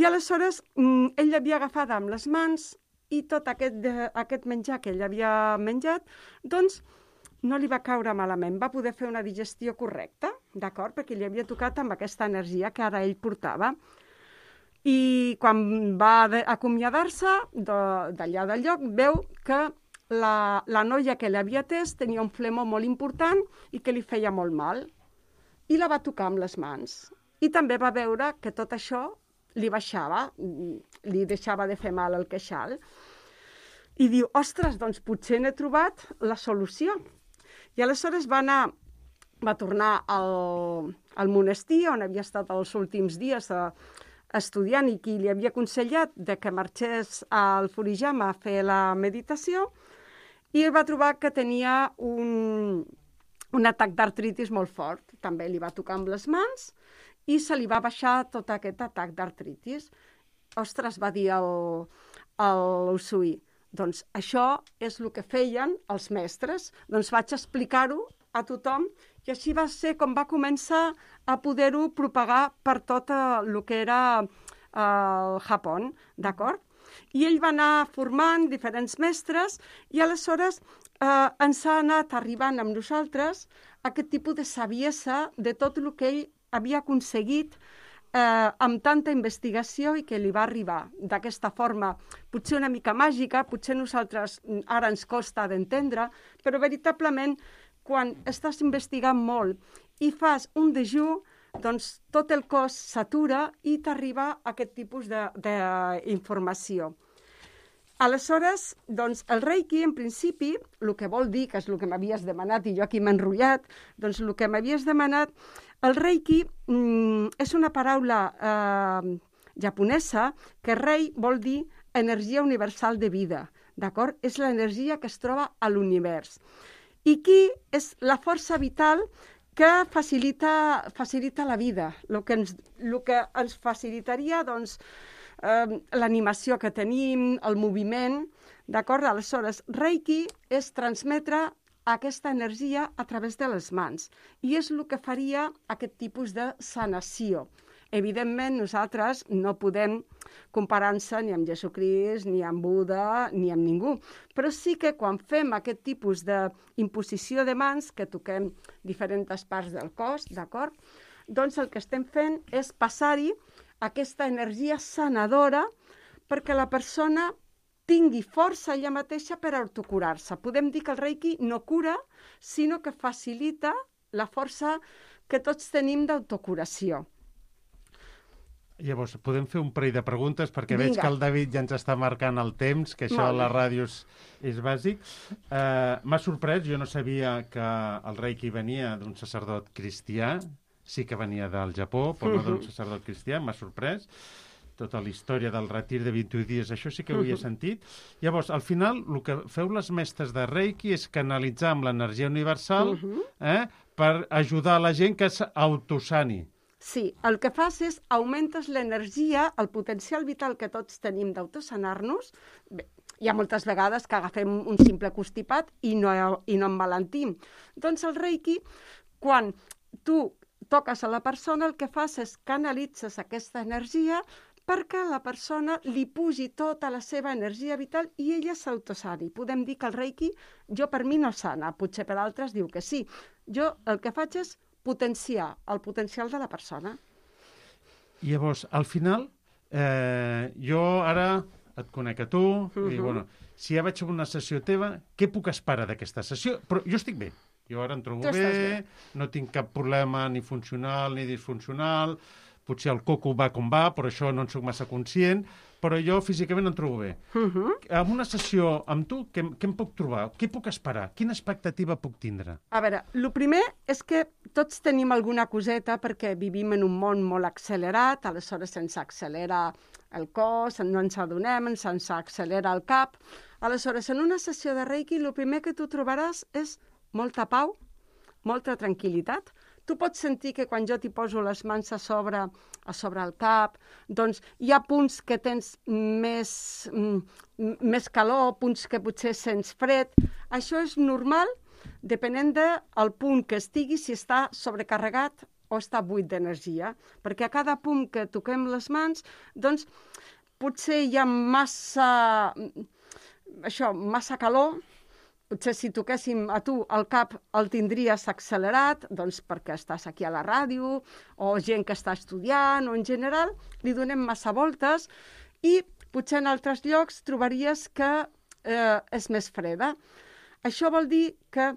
i aleshores ell l'havia agafada amb les mans i tot aquest menjar que ell havia menjat, doncs no li va caure malament, va poder fer una digestió correcta, d'acord? Perquè li havia tocat amb aquesta energia que ara ell portava. I quan va acomiadar-se d'allà del lloc, veu que la noia que l'havia atès tenia un flemó molt important i que li feia molt mal. I la va tocar amb les mans. I també va veure que tot això li baixava, li deixava de fer mal el queixal. I diu, ostres, doncs potser n'he trobat la solució. I aleshores va tornar al monestir on havia estat els últims dies estudiant i qui li havia aconsellat de que marxés al Furiyama a fer la meditació i va trobar que tenia un atac d'artritis molt fort. També li va tocar amb les mans i se li va baixar tot aquest atac d'artritis. Ostres, va dir l'Usui, doncs això és el que feien els mestres. Doncs vaig explicar-ho a tothom i així va ser com va començar a poder-ho propagar per tot el que era el Japó, d'acord? I ell va anar formant diferents mestres i aleshores ens ha anat arribant amb nosaltres aquest tipus de saviesa de tot el que ell havia aconseguit amb tanta investigació i que li va arribar d'aquesta forma, potser una mica màgica, potser nosaltres ara ens costa d'entendre, però veritablement quan estàs investigant molt i fas un dejú, doncs tot el cos s'atura i t'arriba aquest tipus d'informació. Aleshores, doncs, el Reiki, en principi, el que vol dir, que és el que m'havies demanat, i jo aquí m'he enrotllat, doncs el que m'havies demanat, el Reiki és una paraula japonesa que rei vol dir energia universal de vida, d'acord? És l'energia que es troba a l'univers. I qui és la força vital que facilita la vida, el que ens facilitaria, doncs, l'animació que tenim, el moviment, d'acord? Aleshores, Reiki és transmetre aquesta energia a través de les mans i és el que faria aquest tipus de sanació. Evidentment, nosaltres no podem comparar-se ni amb Jesucrist, ni amb Buda, ni amb ningú, però sí que quan fem aquest tipus d'imposició de mans, que toquem diferents parts del cos, d'acord? Doncs el que estem fent és passar-hi aquesta energia sanadora perquè la persona tingui força ella mateixa per autocurar-se. Podem dir que el Reiki no cura, sinó que facilita la força que tots tenim d'autocuració. Llavors, podem fer un parell de preguntes, perquè veig que el David ja ens està marcant el temps, que això a la ràdio és bàsic. M'ha sorprès, jo no sabia que el Reiki venia d'un sacerdot cristià, sí que venia del Japó, però no d'un sacerdot cristià, m'ha sorprès. Tota la història del retir de 21 dies, això sí que ho havia sentit. Llavors, al final, el que feu les mestres de Reiki és canalitzar amb l'energia universal per ajudar la gent que s'autosani. Sí, el que fas és augmentes l'energia, el potencial vital que tots tenim d'autosanar-nos. Hi ha moltes vegades que agafem un simple constipat i no emmalentim. Doncs el Reiki, quan tu toques a la persona, el que fas és canalitzes aquesta energia perquè a la persona li pugi tota la seva energia vital i ella s'autosani. Podem dir que el Reiki, jo per mi no sana, potser per altres diu que sí. Jo el que faig és potenciar el potencial de la persona. Llavors, al final, jo ara et conec a tu, i bueno, si ja vaig a una sessió teva, què puc esperar d'aquesta sessió? Però jo estic bé. Jo ara em trobo bé, no tinc cap problema ni funcional ni disfuncional, potser el coco va com va, però això no en soc massa conscient, però jo físicament em trobo bé. En una sessió amb tu, què em puc trobar? Què puc esperar? Quina expectativa puc tindre? A veure, el primer és que tots tenim alguna coseta perquè vivim en un món molt accelerat, aleshores se'ns accelera el cos, no ens adonem, se'ns accelera el cap. Aleshores, en una sessió de Reiki, el primer que tu trobaràs és molta pau, molta tranquil·litat. Tu pots sentir que quan jo t'hi poso les mans a sobre el cap, doncs hi ha punts que tens més calor, punts que potser sents fred. Això és normal, depenent del punt que estigui, si està sobrecarregat o està buit d'energia. Perquè a cada punt que toquem les mans, doncs potser hi ha massa calor. Potser si toquéssim a tu el cap el tindries accelerat, doncs perquè estàs aquí a la ràdio, o gent que està estudiant, o en general li donem massa voltes, i potser en altres llocs trobaries que és més freda. Això vol dir que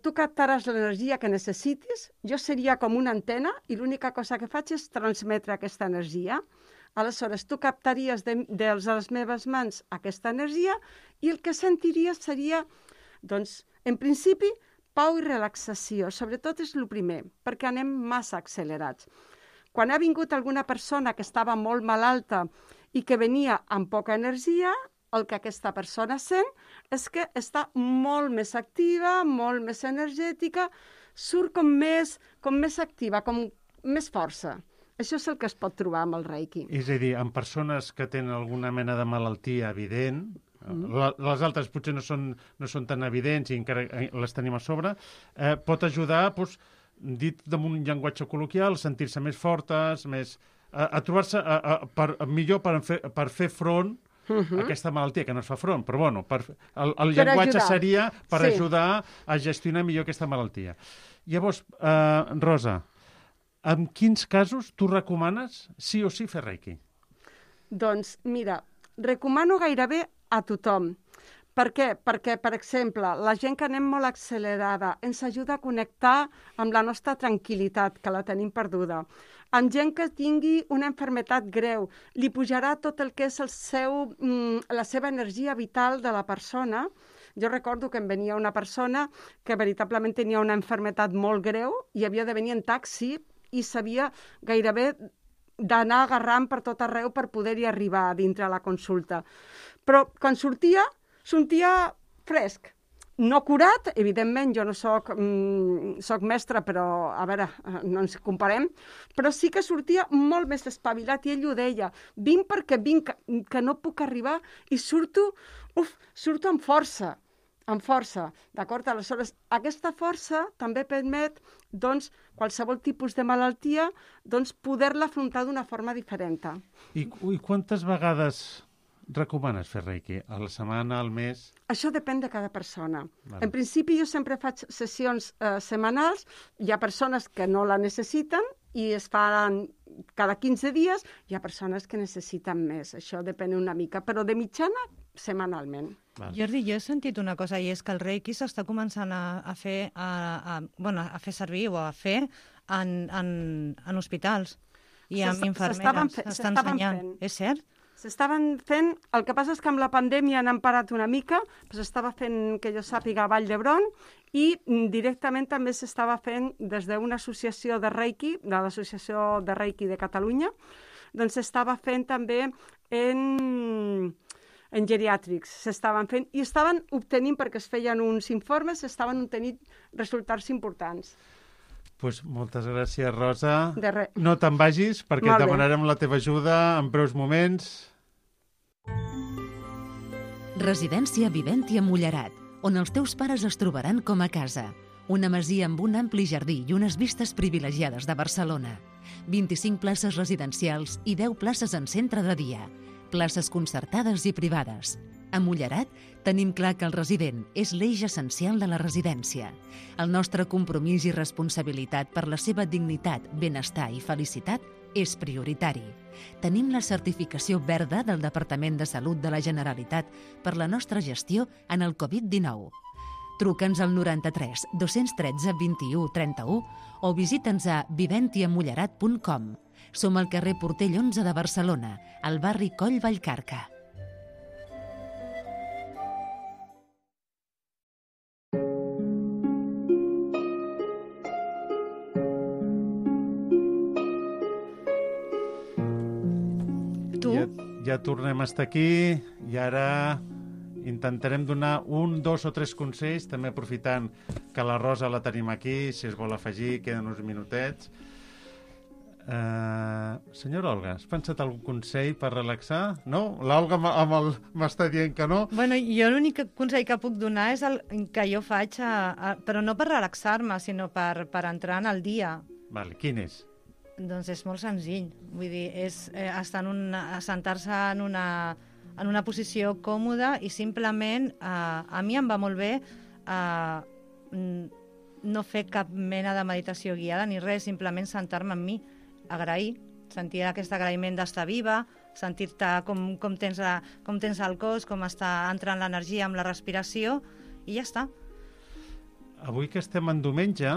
tu captaràs l'energia que necessitis, jo seria com una antena, i l'única cosa que faig és transmetre aquesta energia. Aleshores, tu captaries de les meves mans aquesta energia i el que sentiries seria, doncs, en principi, pau i relaxació. Sobretot és el primer, perquè anem massa accelerats. Quan ha vingut alguna persona que estava molt malalta i que venia amb poca energia, el que aquesta persona sent és que està molt més activa, molt més energètica, surt com més activa, com més força. Això és el que es pot trobar amb el Reiki. És a dir, en persones que tenen alguna mena de malaltia evident, les altres potser no són tan evidents i encara les tenim a sobre, pot ajudar, doncs, dit amb un llenguatge col·loquial, sentir-se més fortes, a trobar-se millor per fer front a aquesta malaltia, que no es fa front, però bueno, el llenguatge seria per ajudar a gestionar millor aquesta malaltia. Llavors, Rosa, en quins casos tu recomanes sí o sí fer Reiki? Doncs, mira, recomano gairebé a tothom. Per què? Perquè, per exemple, la gent que anem molt accelerada ens ajuda a connectar amb la nostra tranquil·litat, que la tenim perduda. Amb gent que tingui una malaltia greu, li pujarà tot el que és la seva energia vital de la persona. Jo recordo que em venia una persona que veritablement tenia una malaltia molt greu i havia de venir en taxi i sabia gairebé d'anar agarrant per tot arreu per poder-hi arribar a dintre la consulta. Però quan sortia fresc. No curat, evidentment, jo no soc mestre, però, a veure, no ens comparem, però sí que sortia molt més espavilat i ell ho deia. Vinc perquè vinc, que no puc arribar i surto amb força. Amb força, d'acord? Aleshores, aquesta força també permet, doncs, qualsevol tipus de malaltia, doncs, poder-la afrontar d'una forma diferent. I quantes vegades recomanes fer Reiki? A la setmana, al mes? Això depèn de cada persona. Vale. En principi, jo sempre faig sessions setmanals. Hi ha persones que no la necessiten i es fan cada 15 dies. Hi ha persones que necessiten més. Això depèn una mica, però de mitjana, setmanalment. Vale. Jordi, jo he sentit una cosa, i és que el Reiki s'està començant a fer servir o a fer en hospitals i amb infermeres. S'estan ensenyant. És cert? S'estaven fent, el que passa és que amb la pandèmia n'han parat una mica, però s'estava fent, que jo sàpiga, a Vall d'Hebron, i directament també s'estava fent des d'una associació de Reiki, de l'Associació de Reiki de Catalunya, doncs s'estava fent també en geriàtrics, s'estaven fent, i estaven obtenint, perquè es feien uns informes, s'estaven obtenint resultats importants. Pues moltes gràcies, Rosa. De res. No te'n vagis, perquè et demanarem la teva ajuda en breus moments. Residència Viventi a Mullerat, on els teus pares es trobaran com a casa. Una masia amb un ampli jardí i unes vistes privilegiades de Barcelona. 25 places residencials i 10 places en centre de dia. Places concertades i privades. A Mullerat tenim clar que el resident és l'eix essencial de la residència. El nostre compromís i responsabilitat per la seva dignitat, benestar i felicitat és prioritari. Tenim la certificació verda del Departament de Salut de la Generalitat per la nostra gestió en el Covid-19. Truca'ns al 93 213 21 31 o visita'ns a viventiamullerat.com. Som al carrer Portell 11 de Barcelona, al barri Coll Vallcarca. Ja tornem a estar aquí i ara intentarem donar 1, 2 o 3 consells, també aprofitant que la Rosa la tenim aquí, si es vol afegir, queden uns minutets. Senyora Olga, has pensat algun consell per relaxar? No? L'Olga m'està dient que no. Bueno, jo l'únic consell que puc donar és el que jo faig, però no per relaxar-me, sinó per entrar en el dia. Vale, quin és? Doncs és molt senzill. Vull dir, és sentar-se en una posició còmoda i simplement, a mi em va molt bé no fer cap mena de meditació guiada ni res, simplement sentar-me amb mi, agrair, sentir aquest agraïment d'estar viva, sentir-te com tens el cos, com està entrant l'energia amb la respiració, i ja està. Avui que estem en diumenge,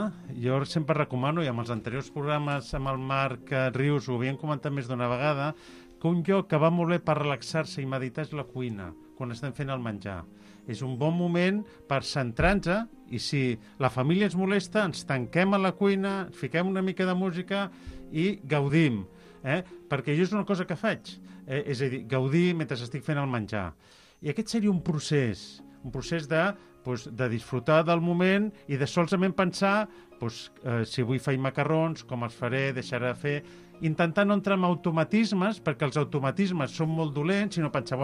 jo sempre recomano, i amb els anteriors programes amb el Marc Rius ho havíem comentat més d'una vegada, que un lloc que va molt bé per relaxar-se i meditar és la cuina, quan estem fent el menjar. És un bon moment per centrar-nos, i si la família ens molesta, ens tanquem a la cuina, fiquem una mica de música i gaudim. Perquè jo és una cosa que faig, és a dir, gaudir mentre estic fent el menjar. I aquest seria un procés de disfrutar del moment i de solament pensar si avui faig macarrons, com els faré, deixaré de fer, intentar no entrar en automatismes, perquè els automatismes són molt dolents, sinó pensar,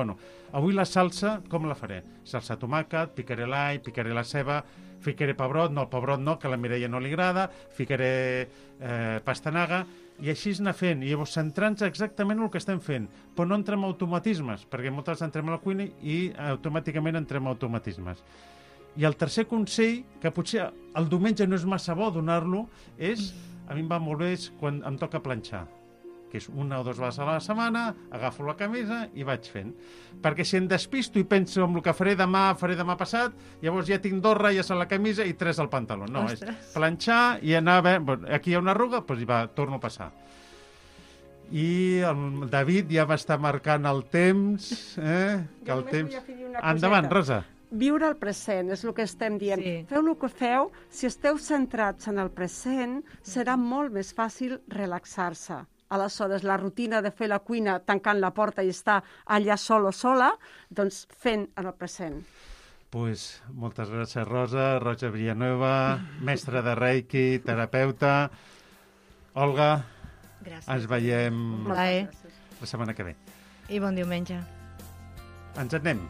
avui la salsa, com la faré? Salsa tomàquet, picaré l'all, picaré la ceba, ficaré pebrot, no, el pebrot no, que a la Mireia no li agrada, ficaré pastanaga, i així anar fent, i llavors centrant-nos exactament en el que estem fent, però no entrem en automatismes, perquè moltes vegades entrem a la cuina i automàticament entrem en automatismes. I el tercer consell, que potser el diumenge no és massa bo donar-lo, a mi em va molt bé quan em toca planxar, que és 1 o 2 vegades a la setmana, agafo la camisa i vaig fent. Perquè si em despisto i penso en el que faré demà passat, llavors ja tinc 2 ratlles a la camisa i 3 al pantaló. No, és planxar i anar a veure, aquí hi ha una arruga, doncs torno a passar. I el David ja va estar marcant el temps. Que el temps... Endavant, Rosa. Viure el present, és el que estem dient. Sí. Feu el que feu, si esteu centrats en el present, serà molt més fàcil relaxar-se. Aleshores, la rutina de fer la cuina tancant la porta i estar allà sol o sola, doncs fent en el present. Pues, moltes gràcies, Rosa Villanueva, mestra de Reiki, terapeuta. Olga, gràcies. Ens veiem la setmana que ve. I bon diumenge. Ens anem.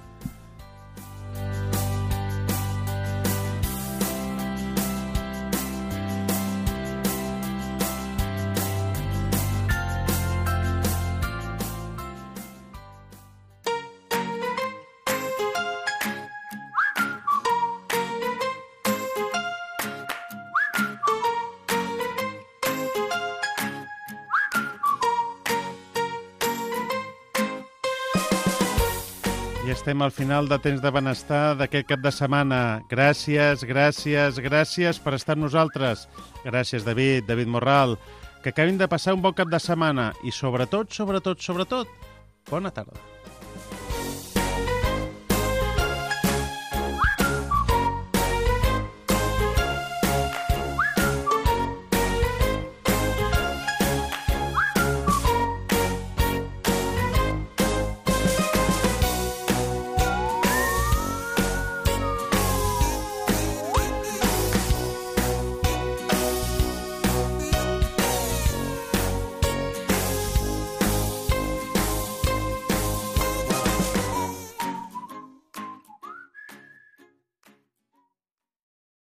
Estem al final de Temps de Benestar d'aquest cap de setmana. Gràcies per estar amb nosaltres. Gràcies, David Morral. Que acabin de passar un bon cap de setmana i sobretot, bona tarda.